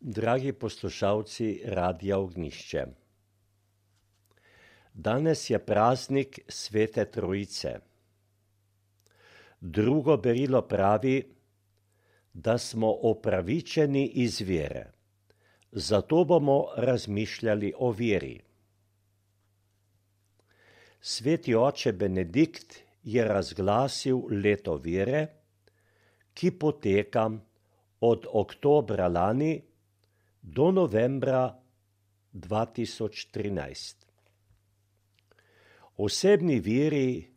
Dragi poslušalci Radia Ognjišče. Danes je praznik Svete Trojice. Drugo berilo pravi, da smo opravičeni iz vere. Zato bomo razmišljali o veri. Sveti oče Benedikt je razglasil leto vere, ki poteka od oktobra lani do novembra 2013. Osebni veri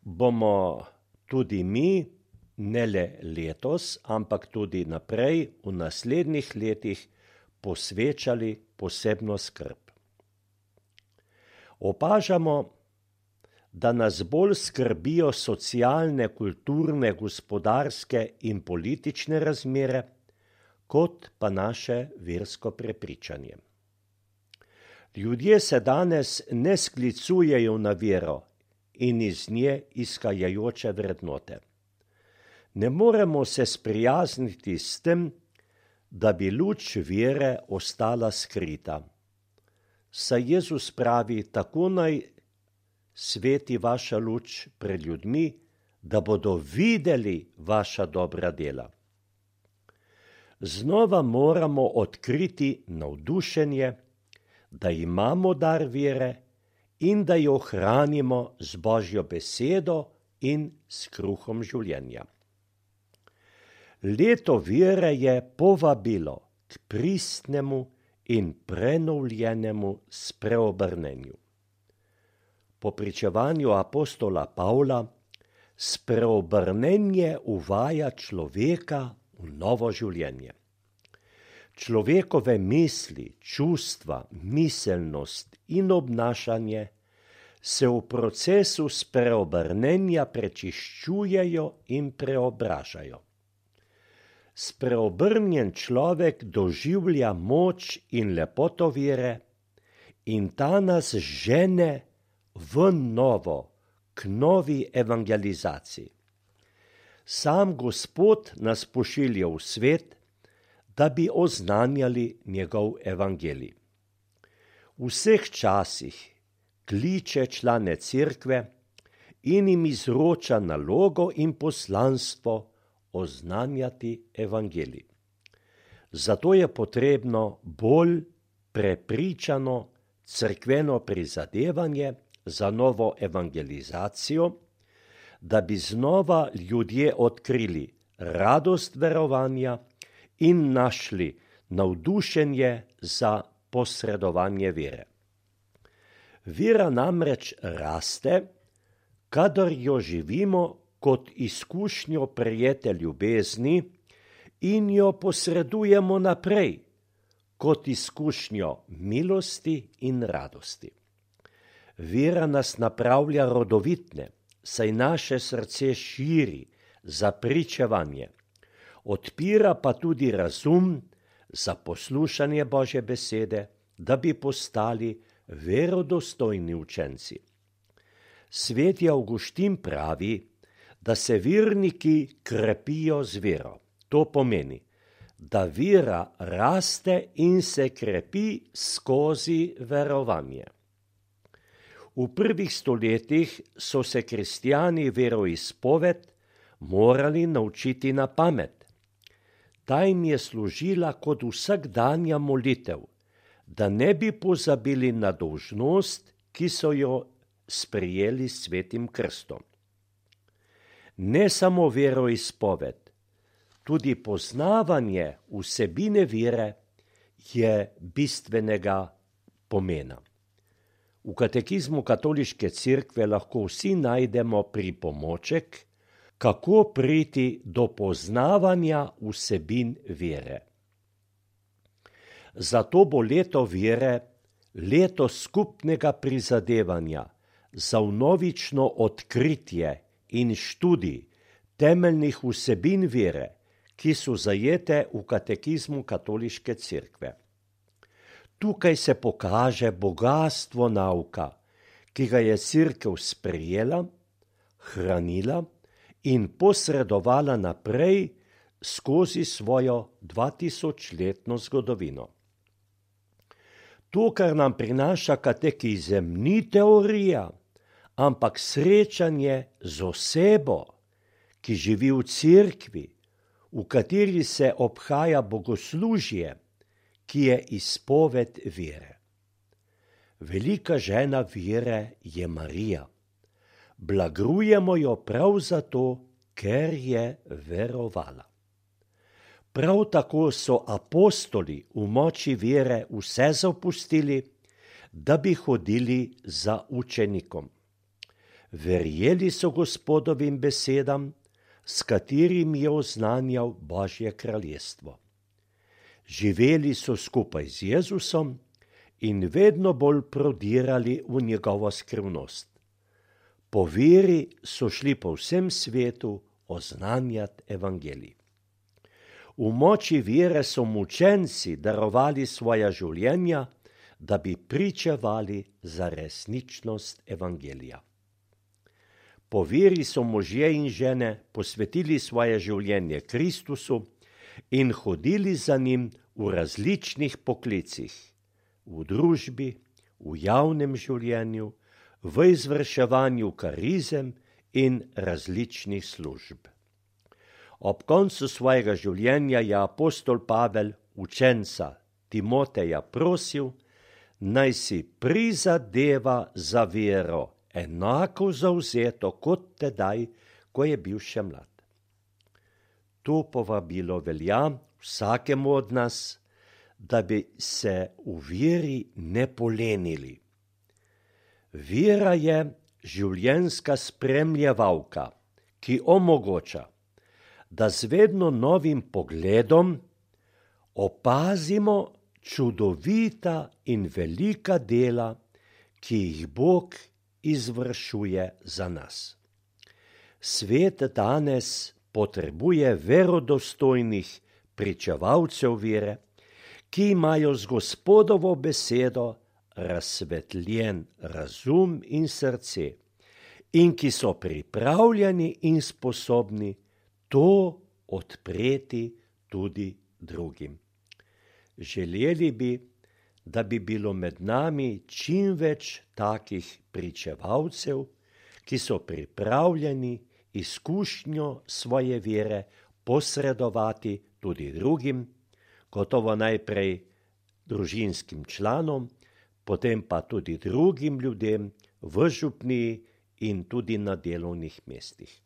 bomo tudi mi, ne le letos, ampak tudi naprej v naslednjih letih posvečali posebno skrb. Opažamo, da nas bolj skrbijo socialne, kulturne, gospodarske in politične razmere, kot pa naše versko prepričanje. Ljudje se danes ne sklicujejo na vero in iz nje izhajajoče vrednote. Ne moremo se sprijazniti s tem, da bi luč vere ostala skrita. Saj Jezus pravi, tako naj sveti vaša luč pred ljudmi, da bodo videli vaša dobra dela. Znova moramo odkriti navdušenje, da imamo dar vere in da jo hranimo z Božjo besedo in s kruhom življenja. Leto vere je povabilo k pristnemu in prenovljenemu spreobrnenju. Po pričevanju apostola Pavla spreobrnenje uvaja človeka v novo življenje. Človekove misli, čustva, miselnost in obnašanje se v procesu spreobrnenja prečiščujejo in preobražajo. Spreobrnjen človek doživlja moč in lepoto vere in ta nas žene v novo, k novi evangelizaciji. Sam Gospod nas pošilja v svet, da bi oznanjali njegov evangelij. V vseh časih kliče člane cerkve in jim izroča nalogo in poslanstvo oznanjati evangelij. Zato je potrebno bolj prepričano cerkveno prizadevanje za novo evangelizacijo, da bi znova ljudje odkrili radost verovanja in našli navdušenje za posredovanje vere. Vera namreč raste, kadar jo živimo kot izkušnjo prejete ljubezni in jo posredujemo naprej kot izkušnjo milosti in radosti. Vera nas napravlja rodovitne, saj naše srce širi za pričevanje, odpira pa tudi razum za poslušanje Božje besede, da bi postali verodostojni učenci. Sveti Avguštin pravi, da se verniki krepijo z vero. To pomeni, da vera raste in se krepi skozi verovanje. V prvih stoletjih so se kristjani veroizpoved morali naučiti na pamet. Ta jim je služila kot vsakdanja molitev, da ne bi pozabili na dolžnost, ki so jo sprejeli s svetim krstom. Ne samo veroizpoved, tudi poznavanje vsebine vere je bistvenega pomena. V katekizmu katoliške cerkve lahko vsi najdemo pripomoček, kako priti do poznavanja vsebin vere. Zato bo leto vere leto skupnega prizadevanja za vnovično odkritje in študij temeljnih vsebin vere, ki so zajete v katekizmu katoliške cerkve. Tukaj se pokaže bogastvo nauka, ki ga je cerkev sprejela, hranila in posredovala naprej skozi svojo 2000-letno zgodovino. To, kar nam prinaša katekizem, ni teorija, ampak srečanje z osebo, ki živi v cerkvi, v kateri se obhaja bogoslužje, ki je izpoved vere. Velika žena vere je Marija. Blagrujemo jo prav zato, ker je verovala. Prav tako so apostoli v moči vere vse zapustili, da bi hodili za učenikom. Verjeli so Gospodovim besedam, s katerim je oznanjal Božje kraljestvo. Živeli so skupaj z Jezusom in vedno bolj prodirali v njegovo skrivnost. Po veri so šli po vsem svetu oznanjati evangelij. V moči vere so mučenci darovali svoja življenja, da bi pričevali za resničnost evangelija. Po veri so možje in žene posvetili svoje življenje Kristusu in hodili za njim v različnih poklicih, v družbi, v javnem življenju, v izvrševanju karizem in različnih služb. Ob koncu svojega življenja je apostol Pavel učenca Timoteja prosil, naj si prizadeva za vero, enako zavzeto kot tedaj, ko je bil še mlad. To povabilo velja vsakemu od nas, da bi se v veri ne polenili. Vera je življenjska spremljevalka, ki omogoča, da z vedno novim pogledom opazimo čudovita in velika dela, ki jih Bog izvršuje za nas. Svet danes potrebuje verodostojnih pričevalcev vere, ki imajo z Gospodovo besedo razsvetljen razum in srce in ki so pripravljeni in sposobni to odpreti tudi drugim. Želeli bi, da bi bilo med nami čim več takih pričevalcev, ki so pripravljeni izkušnjo svoje vere posredovati tudi drugim, gotovo najprej družinskim članom, potem pa tudi drugim ljudem v župniji in tudi na delovnih mestih.